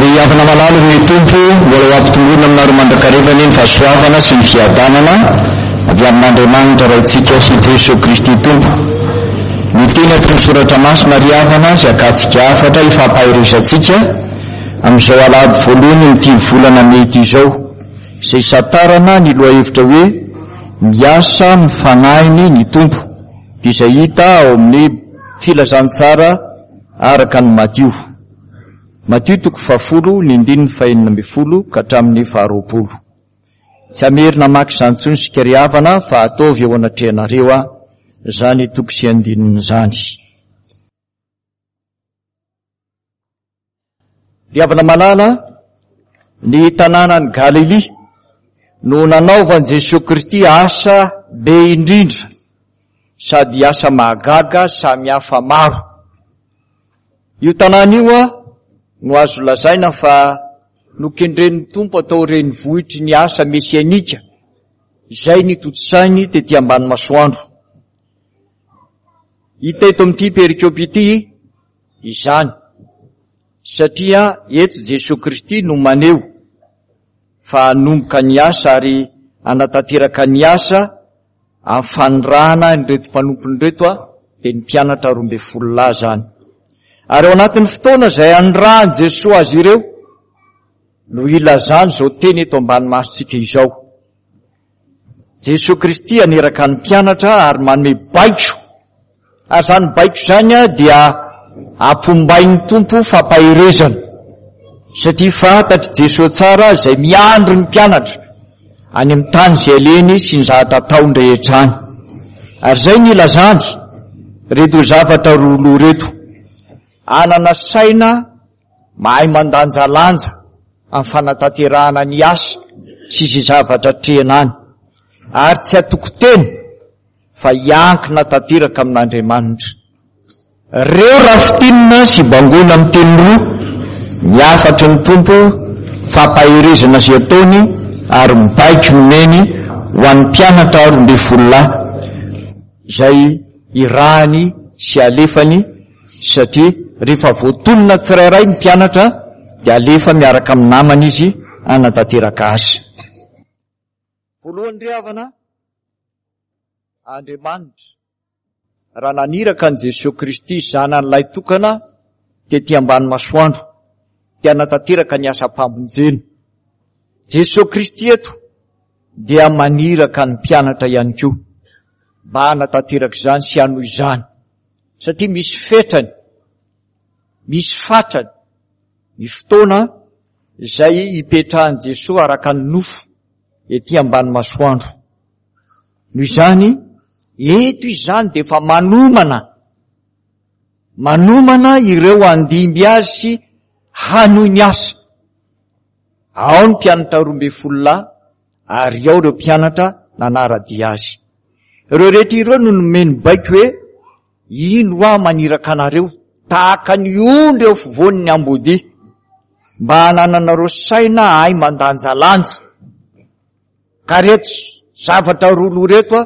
Ry havana malala ny Tompo, mbola ho ampitomboina aminareo mandrakariva anie ny fahasoavana sy ny fiadanana avy amin'Andriamanitra Raintsika sy Jesoa Kristy Tompo. Ny teny ato amin'ny Soratra Masina ry havana izay akatsika hafatra hifampaherezantsika amin'izao alahady voalohany amin'ity volana mey ity izao, izay hisantarana ny lohahevitra hoe Miasa amin'ny fanahiny ny Tompo, dia izay hita ao amin'ny Filazantsara araka an'i Matio. Matio toko fahafolo, ny andininy fahenina ambin'ny folo ka hatramin'ny faharoapolo. Tsy hamerina hamaky izany intsony isika ry havana fa ataovy eo anatrehanareo aho izany toko sy andininy izany. Ry havana malala, ny tanànan'i Galilia no nanaovan'i Jesoa Kristy asa be indrindra sady asa mahagaga samy hafa maro. Io tanàna io no azo lazaina fa nokendren'ny Tompo atao renivohitry ny asa mesianika izay nitontosainy tety ambany masoandro. Hita eto amin'ity perikopa ity izany satria eto Jesoa Kristy no maneho fa hanomboka ny asa ary hanatanteraka ny asa amin'ny fanirahana an'ireto mpanompony ireto dia ny mpianatra 12 lahy izany. Ary ao anatin'ny fotoana izay hanirahan'i Jesoa azy ireo no ilazany izao teny eto ambany masontsika izao. Jesoa Kristy haniraka ny mpianatra ary manome baiko. Ary izany baiko izany dia ampombain'ny Tompo fampaherezana. Satria fantatr'i Jesoa tsara izay miandry ny mpianatra any amin'ny tany izay alehany sy ny zavatra ataony rehetra any. Ary izay ny ilazany ireto zavatra roa loha ireto. Hanana saina Mahay mandanjalanja amin'ny fanatanterahana ny asa sy izay zavatra atrehina any, ary tsy hatoky tena fa hiankina tanteraka amin'Andriamanitra. Reo raha fintinina sy bangoina amin'ny teny roa ny hafatry ny Tompo, fampaherezana izay ataony ary ny baiko nomeny ho an'ny mpianatra 12 lahy izay irahany sy alefany Satria rehefa voatonona tsirairay ny mpianatra dia alefa miaraka amin'ny namany izy hanatanteraka asa. Voalohany ry havana, Andriamanitra raha naniraka an'i Jesoa Kristy Zanany lahitokana tety ambany masoandro dia hanatanteraka ny asam-pamonjena. Jesoa Kristy eto dia maniraka ny mpianatra ihany koa mba hanatanteraka izany sy hanohy izany. Satria misy fetrany, misy fatrany ny fotoana izay hipetrahan'i Jesoa araka ny nofo ety ambany masoandro. Noho izany, eto izy izany dia efa manomana, manomana ireo handimby azy sy hanohy ny asa. Ao ny mpianatra 12 lahy ary ao ireo mpianatra nanara-dia azy. Ireo rehetra ireo no nomeny baiko hoe, Indro aho maniraka anareo tahaka ny ondry eo afovoan'ny ambodia, mba hanananareo saina hahay mandanjalanja. Ka ireto zavatra roa loha ireto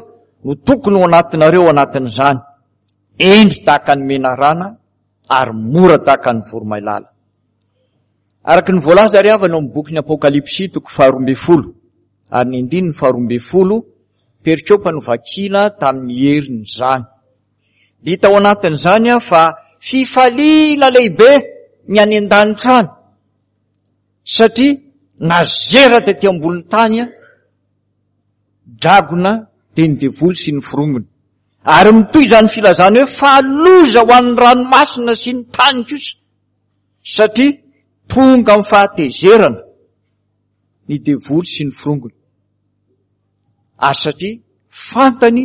no tokony ho anatinareo ao anatin'izany, hendry tahaka ny menarana ary mora tahaka ny voromailala. Araka ny voalaza ry havana ao amin'ny bokin'ny Apokalypsy toko faha-12 ary ny andininy faha-12, perikopa novakiana tamin'ny heriny izany. Dia hita ao anatin'izany fa fifaliana lehibe ny any an-danitra any, satria nazera tety ambonin'ny tany dragona dia ny devoly sy ny forongony. Ary mitohy izany filazana hoe fa loza ho an'ny ranomasina sy ny tany kosa. Satria tonga amin'ny fahatezerana ny devoly sy ny forongony. Ary satria fantany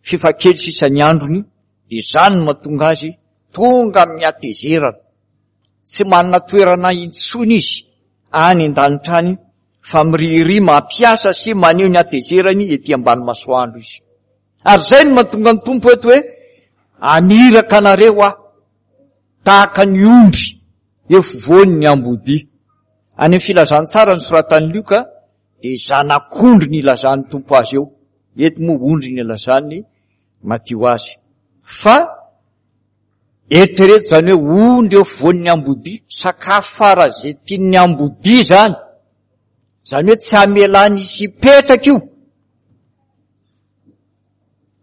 f'efa kely sisa ny androny, dia izany no mahatonga azy tonga amin'ny hatezerana. Tsy manana toerana intsony izy any an-danitra any fa mirihiriha mampiasa sy maneho ny hatezerany ety ambany masoandro izy. Ary izay no mahatonga ny Tompo eto hoe, Aniraka anareo aho. tahaka ny ondry eo afovoan'ny ambodia. Any amin'ny filazantsara nosoratan'i Lioka dia zanak'ondry ny ilazan'ny Tompo azy eo. Eto moa ondry ny ilazan'i Matio azy. Fa Eritrereto izany hoe ondry eo afovoan'ny ambodia, sakafo faran'izay tian'ny ambodia izany. Izany hoe tsy hamelany hisy hipetraka io.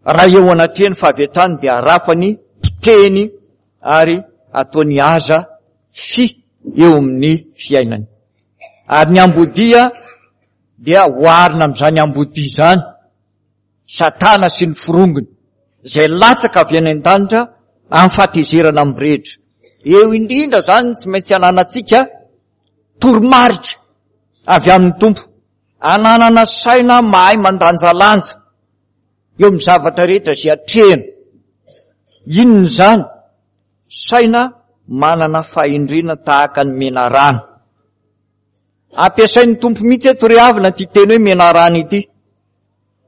Raha eo anatrehany fa avy hatrany dia arapany, potehiny ary ataony haza fy eo amin'ny fiainany. Ary ny ambodia dia oharina amin'izany ambodia izany. Satana sy ny forongony, izay latsaka avy any an-danitra amin'ny fahatezerana mirehitra. Eo indrindra izany tsy maintsy ananantsika toromarika avy amin'ny Tompo, ananana saina mahay mandanjalanja eo amin'ny zavatra rehetra izay atrehina. Inona izany? Saina manana fahendrena tahaka ny menarana. Ampiasain'ny Tompo mihitsy eto ry havana ity teny hoe menarana ity.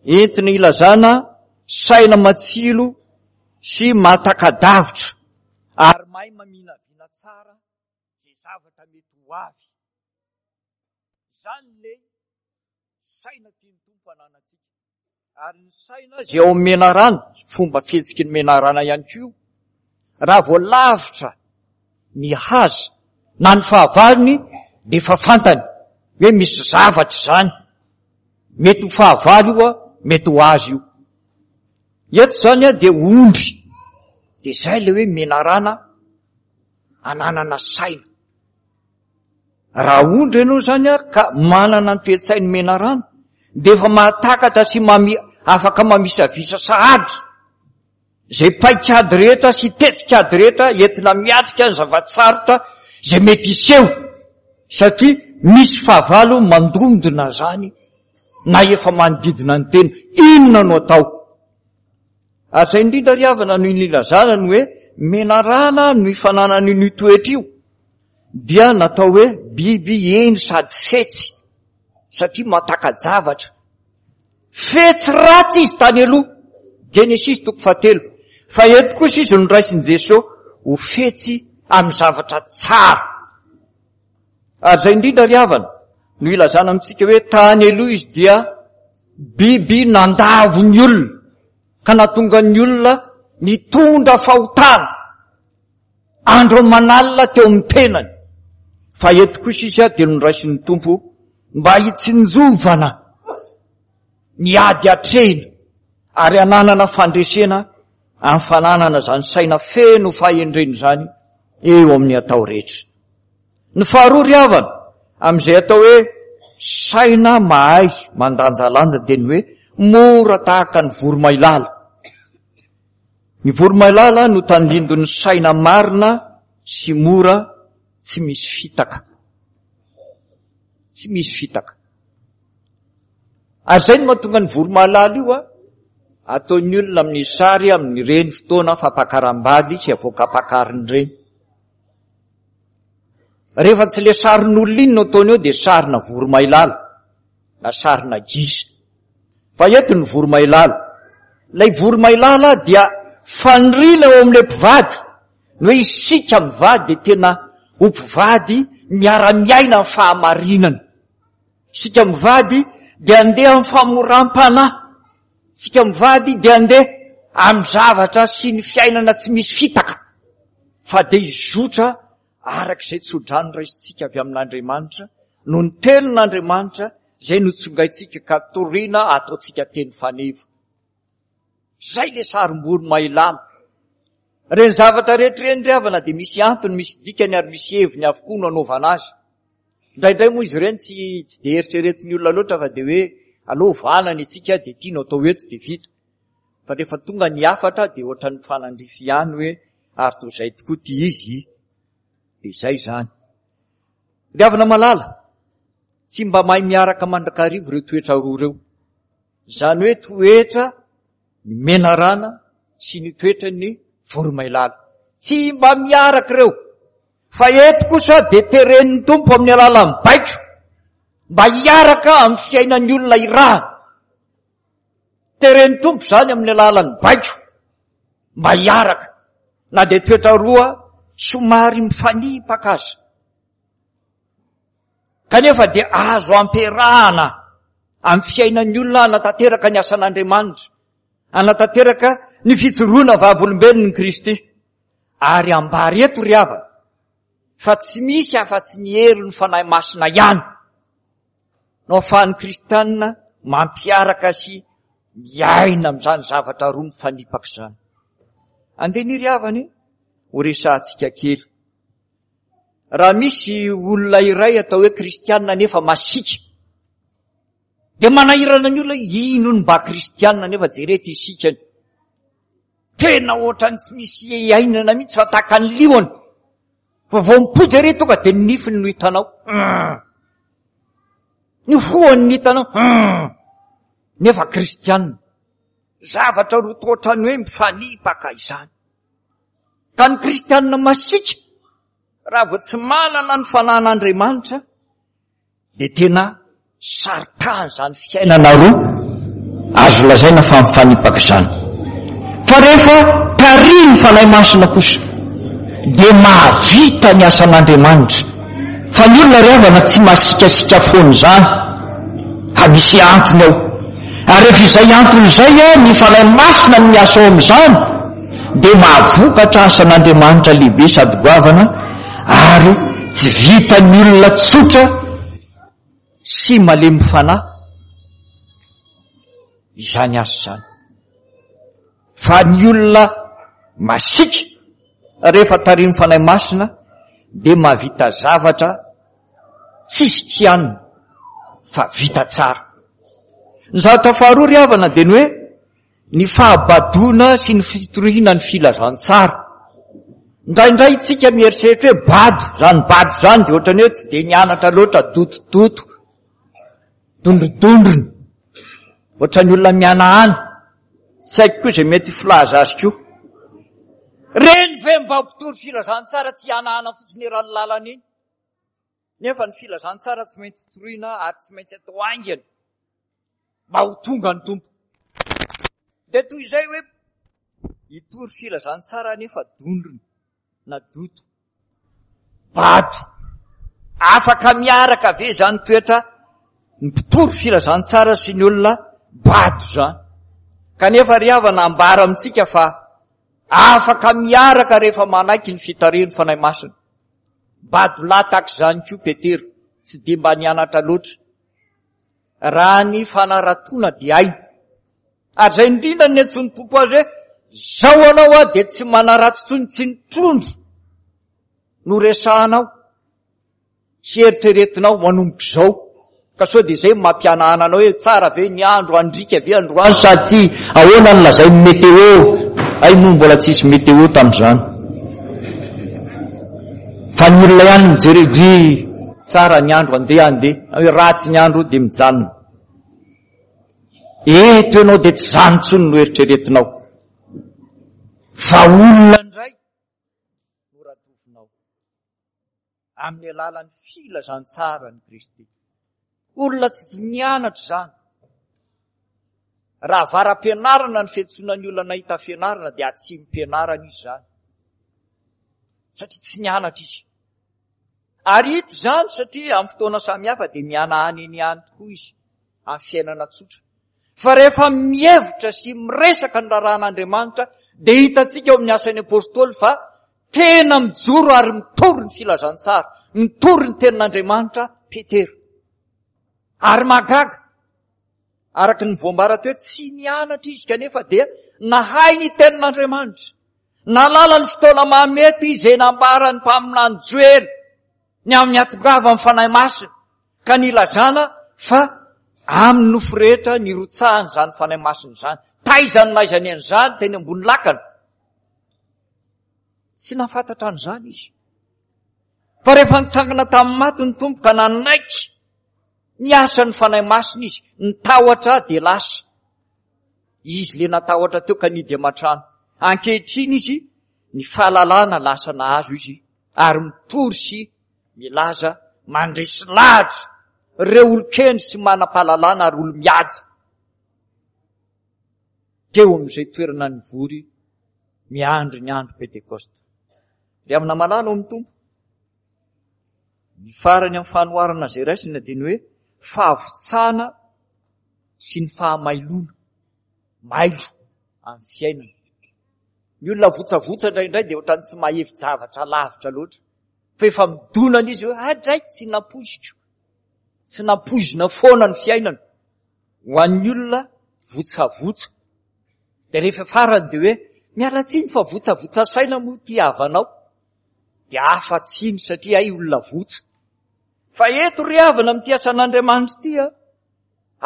Entina ilazana saina matsilo sy mahataka-davitra ary mahay maminavina tsara izay zavatra mety ho avy. Izany ilay saina tian'ny Tompo hananantsika. Ary ny saina izay ao amin'ny menarana, fomba fihetsiky ny menarana ihany koa, raha vao lavitra ny haza na ny fahavalony dia efa fantany hoe misy zavatra izany. Mety ho fahavalo io, mety ho azy io. Eto izany dia ondry. Dia izay ilay hoe menarana ananana saina. Raha ondry ianao izany ka manana ny toe-tsain'ny menarana dia efa mahatakatra sy mami, afaka mamisavisa sahady izay paik'ady rehetra sy tetik'ady rehetra entina miatrika ny zava-tsarotra izay mety hiseho satria misy fahavalo mandondona izany na efa manodidina ny tena. Inona no atao? Ary izay indrindra ry havana no nilazana ny hoe menarana no ifananany io toetra io dia natao hoe biby hendry sady fetsy satria mahataka-javatra. Fetsy ratsy izy tany aloha, Genesisy toko fahatelo, fa eto kosa izy noraisin'i Jesoa ho fetsy amin'ny zavatra tsara. Ary izay indrindra ry havana no ilazana amintsika hoe tany aloha izy dia biby nandavo ny olona ka nahatonga ny olona nitondra fahotana andro aman'alina teo amin'ny tenany. Fa eto kosa izy dia noraisin'ny Tompo mba hitsinjovana ny ady atrehina ary hananana fandresena amin'ny fananana izany saina feno fahendrena izany eo amin'ny atao rehetra. Ny faharoa ry havana, amin'izay atao hoe saina mahay mandanjalanja dia ny hoe mora tahaka ny voromailala. Ny voromailala no tandindon'ny saina marina sy mora tsy misy fitaka. Tsy misy fitaka. Ary izay no mahatonga ny voromailala io a, ataon'ny olona amin'ny sary amin'ireny fotoana fampakaram-bady sy avoakam-pakarina ireny. Rehefa tsy le sarin'olona iny no ataony eo dia sarina voromailala na sarina gisa. Fa eto ny voromailala. Ilay voromailala dia faniriana eo amin'ilay mpivady. Ny hoe isika mivady dia tena ho mpivady miara-miaina amin'ny fahamarinana. Isika mivady dia andeha amin'ny famoram-panahy. Isika mivady dia andeha amin'ny zavatra sy ny fiainana tsy misy fitaka. Fa dia hizotra araka izay tsodrano raisintsika avy amin'Andriamanitra, noho ny tenin'Andriamanitra izay notsongaintsika ka torina ataontsika teny faneva. Izay ilay sarim-boromailala. Ireny zavatra rehetra ireny ry havana dia misy antony, misy dikany ary misy heviny avokoa no anaovana azy. Indraindray moa izy ireny tsy tsy dia eritreretin'ny olona loatra fa dia hoe aleo ovana ny antsika dia ity no atao eto dia vita. Fa rehefa tonga ny hafatra dia ohatran'ny mifanandrify ihany hoe ary toa izay tokoa ity izy. Dia izay izany. Ry havana malala, tsy mba mahay miaraka mandrakariva ireo toetra roa ireo. Izany hoe toetra ny menarana sy ny toetran'ny voromailala. Tsy mba miaraka ireo. Fa eto kosa dia teren'ny Tompo amin'ny alalan'ny baiko mba hiaraka amin'ny fiainan'ny olona irahana. Teren'ny Tompo izany amin'ny alalan'ny baiko mba hiaraka na dia toetra roa somary mifanipaka aza. Kanefa dia azo ampiarahana amin'ny fiainan'ny olona hanatanteraka ny asan'Andriamanitra, hanatanteraka ny fijoroana vavolombelon'i Kristy. Ary ambara eto ry havana fa tsy misy afa-tsy ny herin'ny Fanahy Masina ihany no ahafahan'ny kristiana mampiaraka sy miaina amin'izany zavatra roa mifanipaka izany. Andeha ny ry havana e, ho resahantsika kely. Raha misy olona iray atao hoe kristiana nefa masiaka, dia manahirana ny olona ino ny mba kristiana nefa jerety isikany. Tena ohatran'ny tsy misy iainana mihitsy fa tahaka ny liona. Fa vao mipoitra ery tonga dia ny nifiny no hitanao. Ny hohony no hitanao. Nefa kristianina. Zavatra roa toa ohatran'ny hoe mifanipaka izany. Ka ny kristianina masiaka raha vao tsy manana ny fanan'Andriamanitra dia tena saritahana izany fiainana roa azo lazaina fa mifanipaka izany. Fa rehefa tarihin'ny Fanahy Masina kosa dia mahavita ny asan'Andriamanitra. Fa ny olona ry havana tsy masikasika foana izany, fa misy antony ao. Ary rehefa izay antony izay ny Fanahy Masina no miasa ao amin'izany, dia mahavokatra asan'Andriamanitra lehibe sady goavana ary tsy vitan'ny olona tsotra sy malemy fanahy izany asa izany. Fa ny olona masiaka rehefa tarihin'ny Fanahy Masina dia mahavita zavatra tsisy kianina fa vita tsara. Ny zavatra faharoa ry havana dia ny hoe ny fahabadoana sy ny fitoriana ny filazantsara. Indraindray isika mieritreritra hoe bado, izany bado izany dia ohatran'ny hoe tsy dia nianatra loatra, dotodoto, dondrodondrona, ohatran'ny olona mihanahana. Tsy haiko koa izay mety filaza azy koa. Reny ve mba mpitory filazantsara tsy hihanahana fotsiny eran'ny lalana iny? Nefa ny filazantsara tsy maintsy toriana ary tsy maintsy atao haingana mba ho tonga ny Tompo. Dia toy izay hoe hitory filazantsara nefa dondrona na doto, bado. Afaka miaraka ve izany toetra ny mpitory filazantsara sy ny olona bado izany? Kanefa ry havana ambara amintsika fa afaka miaraka rehefa manaiky ny fitarihan'ny Fanahy Masina. Bado lahy tahaka izany koa Petera, tsy dia mba nianatra loatra. Raha ny fanaratoana dia hainy. Ary izay indrindra no niantsoan'ny Tompo azy hoe, Izao anao aho dia tsy manaratsy intsony, tsy ny trondro no resahanao sy eritreretinao manomboka izao. Ka sao dia izay no mampihanahana anao hoe tsara ve ny andro, handriaka ve androany sa tsia, ahoana no lazain'ny météo, hay moa mbola tsisy météo tamin'izany. Fa ny olona ihany mijery hoe dry tsara ny andro andeha andeha, hoe ratsy ny andro dia mijanona. Eto ianao dia tsy izany intsony no eritreretinao. Fa olona indray no ratovinao. Amin'ny alalan'ny filazantsaran'i Kristy. Olona tsy nianatra izany. Raha avara-pianarana ny fiantsoana ny olona nahita fianarana dia atsimom-pianarana izy izany. Satria tsy nianatra izy. Ary hita izany satria amin'ny fotoana samihafa dia mihanahana eny ihany tokoa izy amin'ny fiainana tsotra. Fa rehefa mihevitra sy miresaka ny raharahan'Andriamanitra dia hitantsika ao amin'ny asan'ny Apostoly fa tena mijoro ary mitory ny filazantsara, mitory ny tenin'Andriamanitra Petera. Ary mahagaga, araka ny voambara teo, tsy nianatra izy kanefa dia nahay ny tenin'Andriamanitra. Nahalala ny fotoana mahamety izay nambaran'ny mpaminany Joela ny amin'ny hatongavan'ny Fanahy Masina ka nilazana fa amin'ny nofo rehetra nirotsahany izany Fanahy Masina izany. Taiza no nahaizany an'izany? Teny ambony lakana. Tsy nahafantatra an'izany izy. Fa rehefa nitsangana tamin'ny maty ny Tompo ka nanaiky ny asan'ny Fanahy Masina izy, ny tahotra dia lasa. Izy le natahotra teo ka nidy aman-trano. Ankehitriny izy, ny fahalalana lasa nahazo izy ary mitory sy milaza mandresy lahatra ireo olon-kendry sy manam-pahalalana ary olo-mihaja teo amin'izay toerana nivory miandry ny andro Pentekosta. Ry havana malala ao amin'ny Tompo, ny farany amin'ny fanoharana izay raisina dia ny hoe fahavontsana sy ny fahamailoana, mailo amin'ny fiainana. Ny olona votsavotsa indraindray dia ohatran'ny tsy mahevi-javatra lavitra loatra. Fa efa midonana izy hoe adray tsy nampoiziko. Tsy nampoizina foana ny fiainana. Ho an'ny olona votsavotsa. Dia rehefa farany dia hoe miala tsiny fa votsavotsa saina moa ity havanao. Dia hafa tsiny satria hay olona votsa. Fa eto ry havana amin'ity asan'Andriamanitra ity a,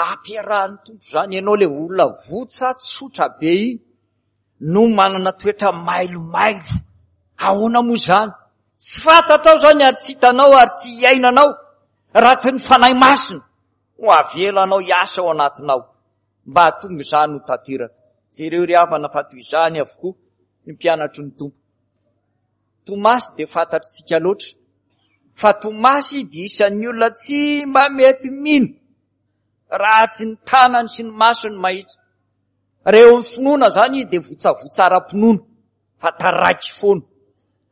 ampiarahan'ny Tompo izany ianao ilay olona votsa tsotra be iny no manana toetra mailomailo. Ahoana moa izany? Tsy fantatrao izany ary tsy hitanao ary tsy iainanao raha tsy ny Fanahy Masina no avelanao hiasa ao anatinao mba hahatonga izany ho tanteraka. Jereo ry havana fa toy izany avokoa ny mpianatry ny Tompo. Tomasy dia fantatritsika loatra fa Tomasy dia isan'ny olona tsy mba mety mino raha tsy ny tanany sy ny masony mahitsy. Reo ny finoana zany izy dia votsavotsa ara-pinoana fa taraiky foana.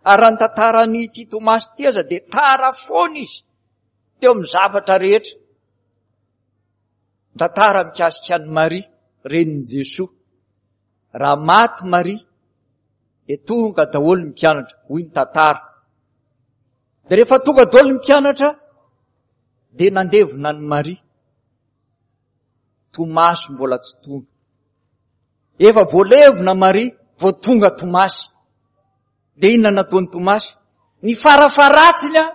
Ary raha ny tantaran'ity Tomasy ity aza dia tara foana izy teo amin'ny zavatra rehetra. Ny tantara mikasika an'i Maria, renin'i Jesoa. Raha maty Maria dia tonga daholo ny mpianatra, hoy ny tantara. Dia rehefa tonga daholo ny mpianatra dia nandevina an'i Maria. Tomasy mbola tsy tonga. Efa voalevina Maria vao tonga Tomasy. Dia inona nataon'i Tomasy? Ny farafaharatsiny a,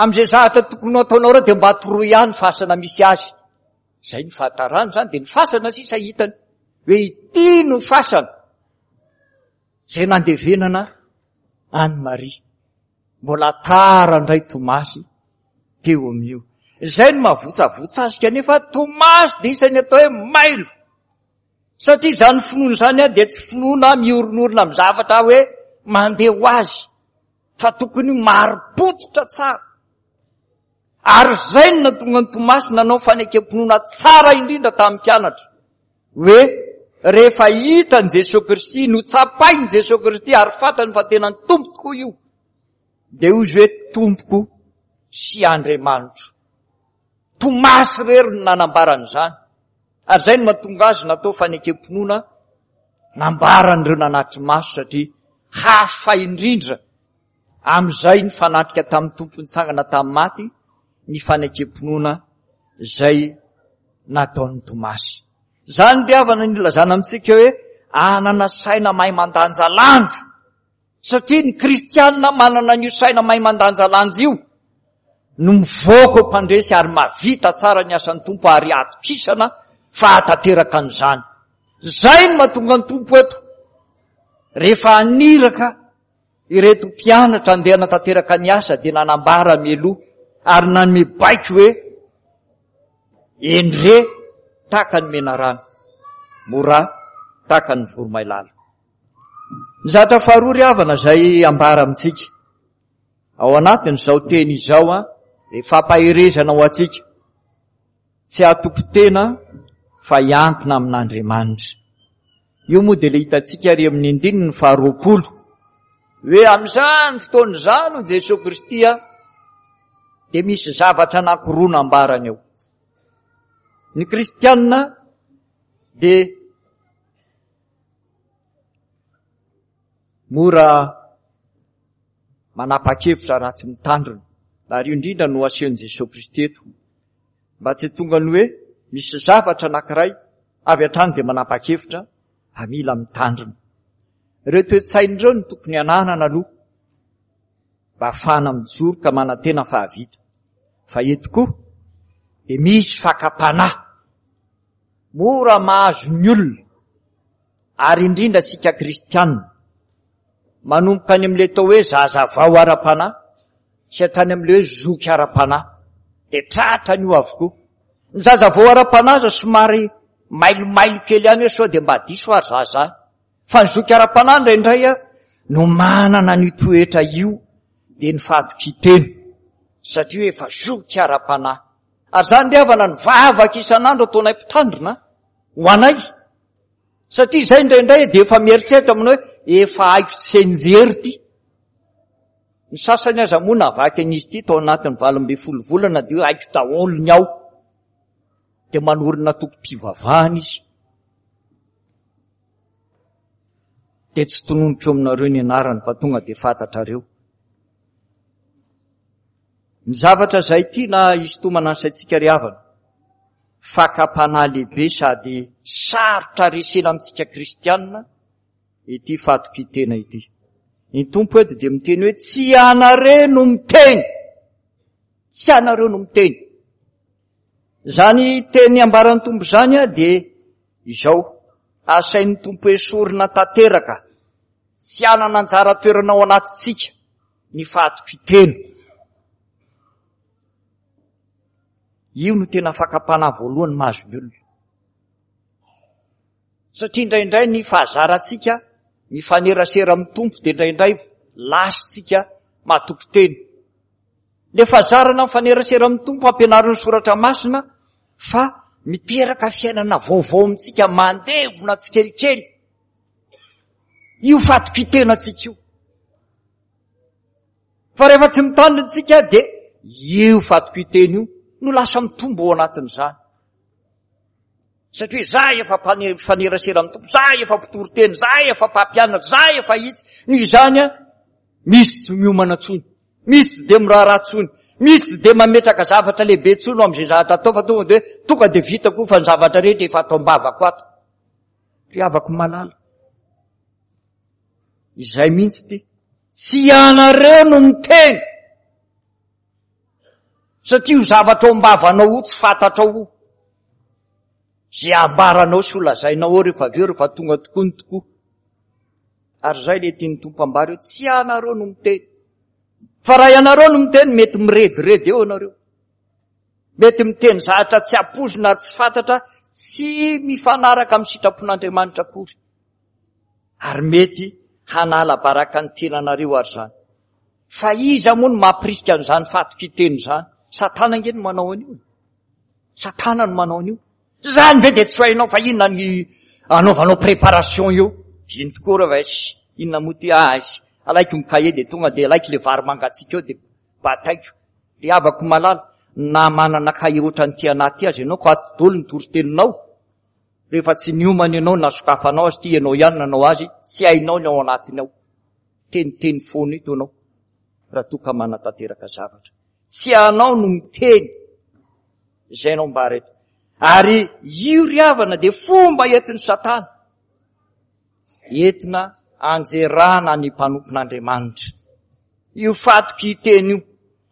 amin'izay zavatra tokony ho ataonao ireo dia mba toroy ihany fasana misy azy. Izay ny fahatarany izany dia ny fasana sisa hitany hoe ity no fasana izay nandevenana an'i Maria. Mbola tara indray Tomasy teo amin'io. Izay no mahavotsavotsa azy kanefa Tomasy dia isan'ny atao hoe mailo. Satria izany finoana izany dia tsy finoana miorinorina amin'ny zavatra hoe mandeha ho azy fa tokony marim-pototra tsara. Ary izay no nahatonga an'i Tomasy nanao fanekem-pinoana tsara indrindra tamin'ny mpianatra, hoe rehefa hitan'i Jesoa Kristy, notsapain'i Jesoa Kristy ary fantany fa tena ny Tompo tokoa io, dia hoy izy hoe Tompoko sy Andriamanitro. Tomasy irery no nanambara an'izany. Ary izay no mahatonga azy natao fanekem-pinoana nambaran'ireo nanatri-maso satria hafa indrindra Amin'izay nifanatrika tamin'ny Tompo nitsangana tamin'ny maty ny fanekem-pinoana izay nataon'i Tomasy. Izany ry havana no ilazana amintsika hoe hanana saina mahay mandanjalanja. Satria ny kristianina manana an'io saina mahay mandanjalanja io no mivoaka ho mpandresy ary mahavita tsara ny asan'ny Tompo ary atokisana fa hahatanteraka an'izany. Izay no mahatonga ny Tompo eto. Rehefa haniraka Ireto mpianatra andeha hanatanteraka ny asa dia nanambara mialoha ary nanome baiko hoe, Endre tahaka ny menarana, mora tahaka ny voromailala. Ny zatra faharoa ry havana izay ambara amintsika ao anatin'izao teny izao dia fampaherezana ho antsika. Tsy hatoky tena fa hiankina amin'Andriamanitra. Io moa dia ilay hitantsika ary amin'ny andininy faharoapolo hoe amin'izany fotoana izany hoy Jesoa Kristy a dia misy zavatra anankiroa nambarany eo. Ny kristianina dia mora manapa-kevitra raha tsy mitandrina. Ary io indrindra no asehon'i Jesoa Kristy eto. Mba tsy tonga ny hoe misy zavatra anankiray avy hatrany dia manapa-kevitra fa mila mitandrina. Ireo toe-tsaina ireo no tokony hananana aloha mba hahafahana mijoro ka manantena fa hahavita. Fa eto koa dia misy fakam-panahy mora mahazo ny olona ary indrindra isika kristianina. Manomboka any amin'ilay atao hoe zazavao ara-panahy sy hatrany amin'ilay hoe zoky ara-panahy. Dia tratran'io avokoa. Ny zazavao ara-panahy aza somary mailomailo kely ihany hoe sao dia mba diso ary za zany. Fa ny zoky ara-panahy indraindray no manana an'io toetra io dia ny fahatokian-tena satria hoe efa zoky ara-panahy. Ary izany ry havana ny vavaka isan'andro ataonay mpitandrina ho anay. Satria izay indraindray dia efa mieritreritra manao hoe efa haiko tsianjery ity. Ny sasany aza moa navaky an'izy ity tao anatin'ny 18 volana dia hoe haiko daholo ny ao. Dia manorina tokom-pivavahana izy. Dia tsy tononiko eo aminareo ny anarany fa tonga dia fantatrareo. Ny zavatra izay tiana hisintomana ny saintsika ry havana, fakam-panahy lehibe sady sarotra resena amintsika kristianina ity fahatokian-tena ity. Ny Tompo eto dia miteny hoe tsy ianareo no miteny. Tsy ianareo no miteny. Izany teny ambaran'ny Tompo izany dia izao, asain'ny Tompo esorina tanteraka, tsy hanana anjara toerana ao anatintsika ny fahatokian-tena. Io no tena fakam-panahy voalohany mahazo ny olona. Satria indraindray ny fahazarantsika mifanerasera amin'ny Tompo dia indraindray lasintsika matoky tena. Le fahazarana mifanerasera amin'ny Tompo ampianarin'ny Soratra Masina fa miteraka fiainana vaovao amintsika mandevona tsikelikely io fatokian-tenantsika io. Fa rehefa tsy mitandrina tsika dia io fatokian-tena io no lasa mitombo ao anatin'izany. Satria za efa mpifanerasera amin'ny Tompo, za efa mpitory teny, za efa mpampianatra, za efa itsy. Noho izany a, misy tsy miomana tsony, misy tsy dia miraharaha tsony, misy tsy dia mametraka zavatra lehibe tsony amin'izay zavatra atao fa tonga dia tonga dia vita koa fa ny zavatra rehetra efa ato am-bavako ato. Ry havako malala. Izay mihitsy ty. Tsy ianareo no miteny. Satria io zavatra ao am-bavanao io tsy fantatrao io. Izay ambaranao sy holazainao ao rehefa avy eo rehefa tonga tokoa ny tokoa. Ary izay ilay tian'ny Tompo ambara eo, tsy ianareo no miteny. Fa raha ianareo no miteny mety mirediredy eo ianareo. Mety miteny zavatra tsy ampoizina ary tsy fantatra, tsy mifanaraka amin'ny sitrapon'Andriamanitra akory. Ary mety hanala baraka ny tenanareo ary izany. Fa iza moa no mampirisika an'izany fatokian-tena izany? Satana ange no manao an'io. Satana no manao an'io. Izany ve dia tsy hainao fa inona ny anaovanao préparation io? Dino tokoa reo va inona moa ty azy? Alaiko ny cahier dia tonga dia alaiko le vary mangatsiaka eo dia bataiko. Ry havako malala, na manana cahier ohatran'ity anahy ity aza ianao ka ato daholo ny toriteninao. Rehefa tsy niomana ianao na sokafanao azy ity ianao ihany nanao azy, tsy hainao ny ao anatiny ao. Teniteny foana eto ianao raha toa ka manatanteraka zavatra. Tsy anao no miteny izay anao ambara eto. Ary io ry havana dia fomba entin'i Satana entina anjerana ny mpanompon'Andriamanitra. Io fatokian-teny io.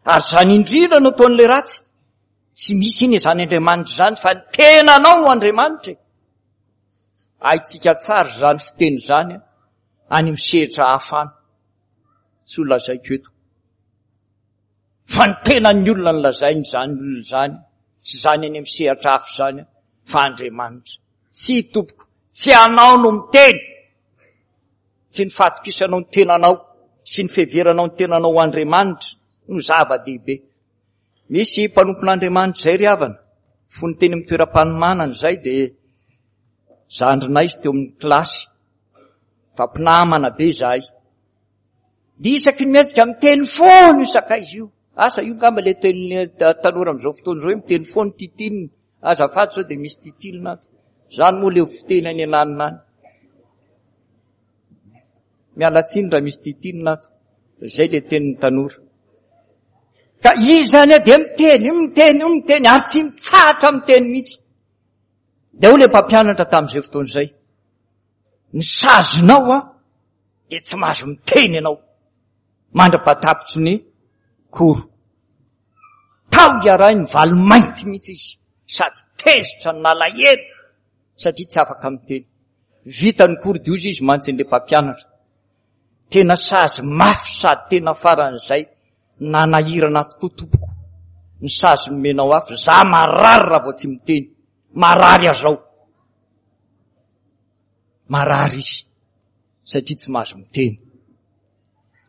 Ary izany indrindra no ataon'ilay ratsy. Tsy misy iny izany Andriamanitra izany fa ny tenanao no Andriamanitra e. Haintsika tsara izany fiteny izany any amin'ny sehatra hafa any. Tsy ho lazaiko eto. Fa ny tenan'ny olona no lazainy izany olona izany sy izany any amin'ny sehatra hafa izany fa Andriamanitra. Tsy tompoko, tsy anao no miteny. Tsy ny fahatokisanao ny tenanao sy ny fiheveranao ny tenanao ho Andriamanitra no zava-dehibe. Misy mpanompon'Andriamanitra izay ry havana, fony teny amin'ny toeram-panomanana izay dia zandrinay izy teo amin'ny kilasy, fa mpinamana be izahay. Dia isaky ny mihetsika miteny foana io sakaiza io. Asa io ngamba ilay tenin'ny tanora amin'izao fotoana izao hoe miteny foana titinina. Azafady sao dia misy titilina ato. Izany moa ilay fiteny any ananona any. Miala tsiny raha misy titilina ato. Izay ilay tenin'ny tanora. Ka izy zany dia miteny, miteny, miteny ary tsy mitsahatra miteny mihitsy. Dia hoy ilay mpampianatra tamin'izay fotoana izay, ny sazinao a dia tsy mahazo miteny ianao mandra-pahatapitry ny koro. Tao iarahiny valy mainty mihitsy izy sady tezitra no nalahelo satria tsy afaka miteny. Vita ny cours dia hozy izy mantsy an'ilay mpampianatra. Tena sazy mafy sady tena faran'izay nanahirana tokoa tompoko ny sazy nomenao ahy fa za marary raha vao tsy miteny. Marary azao. Marary izy satria tsy mahazo miteny.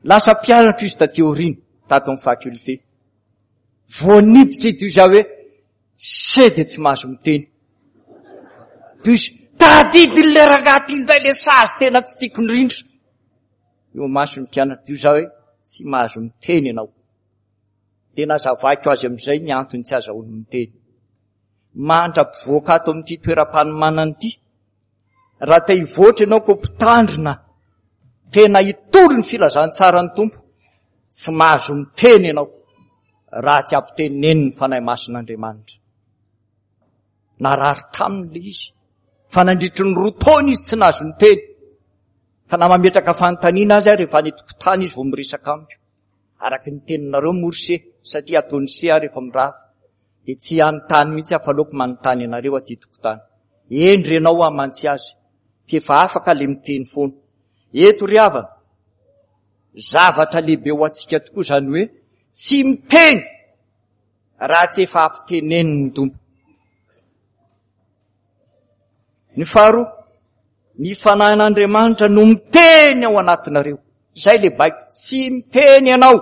Lasa mpianatra izy taty aoriana tato amin'ny faculté. Vao niditra izy dia hoe Se dia tsy mahazo miteny. Toy tadidin'ilay rangahy ty indray ilay sazy tena tsy tiako indrindra. Eo mason'ny mpianatra toy izao hoe tsy mahazo miteny ianao. Dia nazavaiko azy amin'izay ny antony tsy azahoany miteny. Mandra-pivoaka ato amin'ity toeram-panomanana ity, raha te hivoatra ianao koa mpitandrina. tena hitory ny filazantsaran'ny Tompo, tsy mahazo miteny ianao raha tsy ampitenenin'ny Fanahy Masin'Andriamanitra. Narary taminy ilay izy, fa nandritry ny roa taona izy tsy nahazo niteny. Fa na mametraka fanontaniana aza aho rehefa any an-tokotany izy vao miresaka amiko. Araka ny teninareo moa ry se, satria ataon'ny se aho rehefa mirava. Dia tsy hanontany mihitsy aho fa aleoko manontany anareo aty tokotany. Hendry ianao aho mantsy azy, f'efa afaka le miteny foana. Eto ry havana, zavatra lehibe ho antsika tokoa izany hoe tsy miteny raha tsy efa ampitenenin'ny Tompo. Ny faharoa, ny fanahin'Andriamanitra no miteny ao anatinareo. Izay le baiko, tsy miteny ianao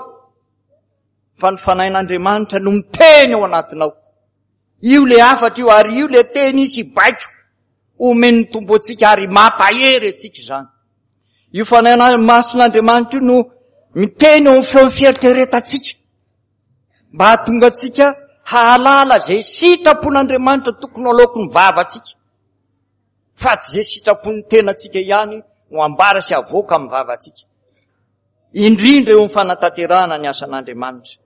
fa ny fanahin'Andriamanitra no miteny ao anatinao. Io le hafatra io ary io le teny sy baiko omen'ny Tompo antsika ary mampahery antsika izany. Io fanahy masin'Andriamanitra io no miteny ao amin'ny feon'ny fieritreretantsika mba hahatonga antsika hahalala izay sitrapon'Andriamanitra tokony aloaky ny vavantsika fa tsy izay sitrapon'ny tenantsika ihany no ambara sy avoaka amin'ny vavantsika. Indrindra eo amin'ny fanatanterahana ny asan'Andriamanitra.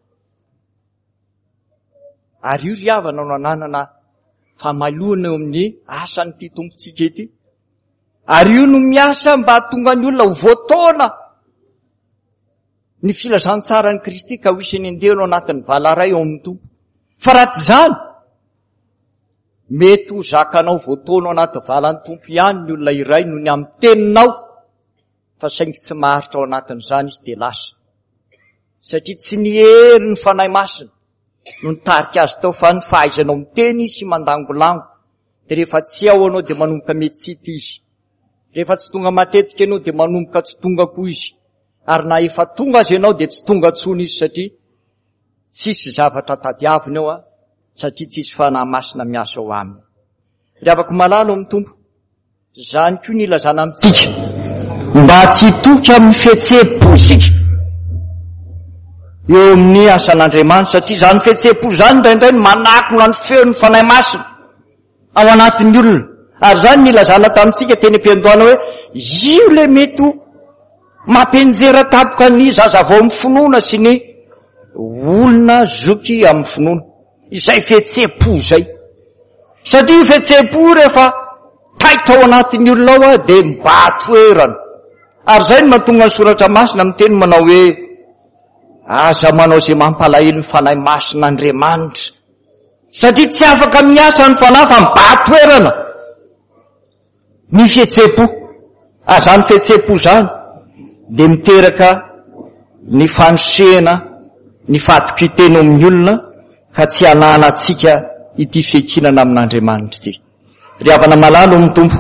Ary io ry havana no ananana famaloana eo amin'ny asan'ity Tompontsika ity. Ary io no miasa mba hahatonga ny olona ho voataona ny filazantsaran'i Kristy ka ho isan'ny andeha ao anatin'ny valaray ao amin'ny Tompo. Fa raha tsy izany, mety ho zakanao voataona ao anaty valan'ny Tompo ihany ny olona iray noho ny amin'ny teninao, fa saingy tsy maharitra ao anatin'izany izy dia lasa. Satria tsy ny herin'ny Fanahy Masina no nitarika azy tao fa ny fahaizanao miteny sy mandangolango. Dia rehefa tsy ao ianao dia manomboka metsita izy. Rehefa tsy tonga matetika ianao dia manomboka tsy tonga koa izy. Ary na efa tonga aza ianao dia tsy tonga intsony izy satria tsisy zavatra tadiaviny ao satria tsisy Fanahy Masina miasa ao aminy. Ry havako malala ao amin'ny Tompo, Izany koa ny ilazana amintsika mba tsy hitoky amin'ny fihetseham-po isika eo amin'ny asan'Andriamanitra, satria izany fihetseham-po izany indraindray no manakona ny feon'ny Fanahy Masina ao anatin'ny olona. Ary izany ny ilazana tamintsika teny am-piandohana hoe io ilay mety ho mampianjera tampoka ny zazavao amin'ny finoana sy ny olona zoky amin'ny finoana. Izay fihetseham-po izay. Satria io fihetseham-po io rehefa taitra ao anatin'ny olona ao dia mibahan-toerana. Ary izay no mahatonga ny soratra masina miteny manao hoe aza manao izay mampalahelo ny fanahy masin'Andriamanitra. Satria tsy afaka miasa ny fanahy fa mibahan-toerana. Ny fihetseham-po. Ary izany fihetseham-po izany dia miteraka ny fanosehana ny fahatokian-tena ao amin'ny olona ka tsy hananantsika ity fiankinana amin'Andriamanitra ity. Ry havana malala ao amin'ny Tompo,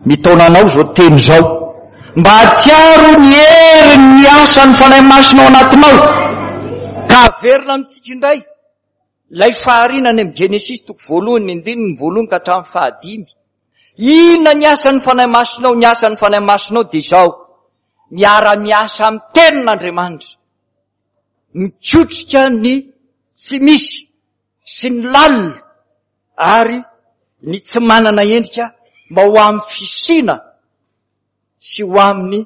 mitaona anao izao teny izao mba hahatsiaro ny herin'ny asan'ny Fanahy Masina ao anatinao ka haverina amintsika indray ilay fahariana any amin'ny Genesisy toko voalohany ny andininy voalohany ka hatramin'ny fahadimy. Inona ny asan'ny Fanahy Masina ao? Ny asan'ny Fanahy Masina ao dia izao, miara-miasa amin'ny Tenin'Andriamanitra, mikotrika ny tsy misy sy ny lalina ary ny tsy manana endrika mba ho amin'ny fisiana sy ho amin'ny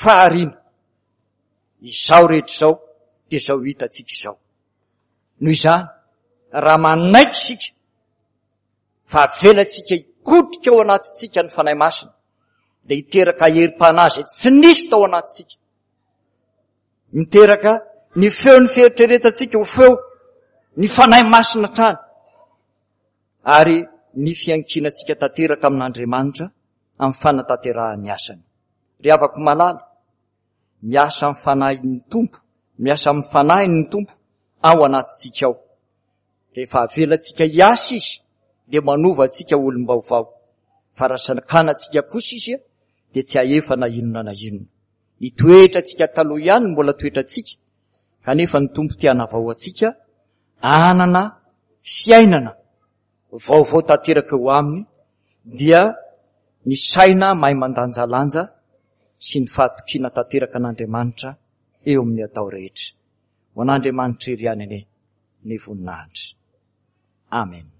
fahariana. Izao rehetra izao dia izao hitantsika izao. Noho izany, raha manaiky isika fa avelantsika hikotrika ao anatintsika ny Fanahy Masina, dia hiteraka herim-panahy izay tsy nisy tao anatintsika. Miteraka ny feon'ny fieritreretantsika ho feo ny Fanahy Masina hatrany, ary ny fiankinantsika tanteraka amin'Andriamanitra amin'ny fanatanterahany asany. Ry havako malala, miasa amin'ny Fanahin'ny Tompo, miasa amin'ny Fanahiny ny Tompo ao anatintsika ao. Rehefa avelantsika hiasa Izy dia manova antsika ho olom-baovao. Fa raha sakanantsika kosa Izy dia tsy hahefa na inona na inona. Ny toetrantsika taloha ihany no mbola toetrantsika, kanefa ny Tompo te hanavao antsika hanana fiainana vaovao tanteraka eo aminy dia ny saina mahay mandanjalanja sy ny fahatokiana tanteraka an'Andriamanitra eo amin'ny atao rehetra. Ho an'Andriamanitra irery ihany anie ny voninahitra. Amen.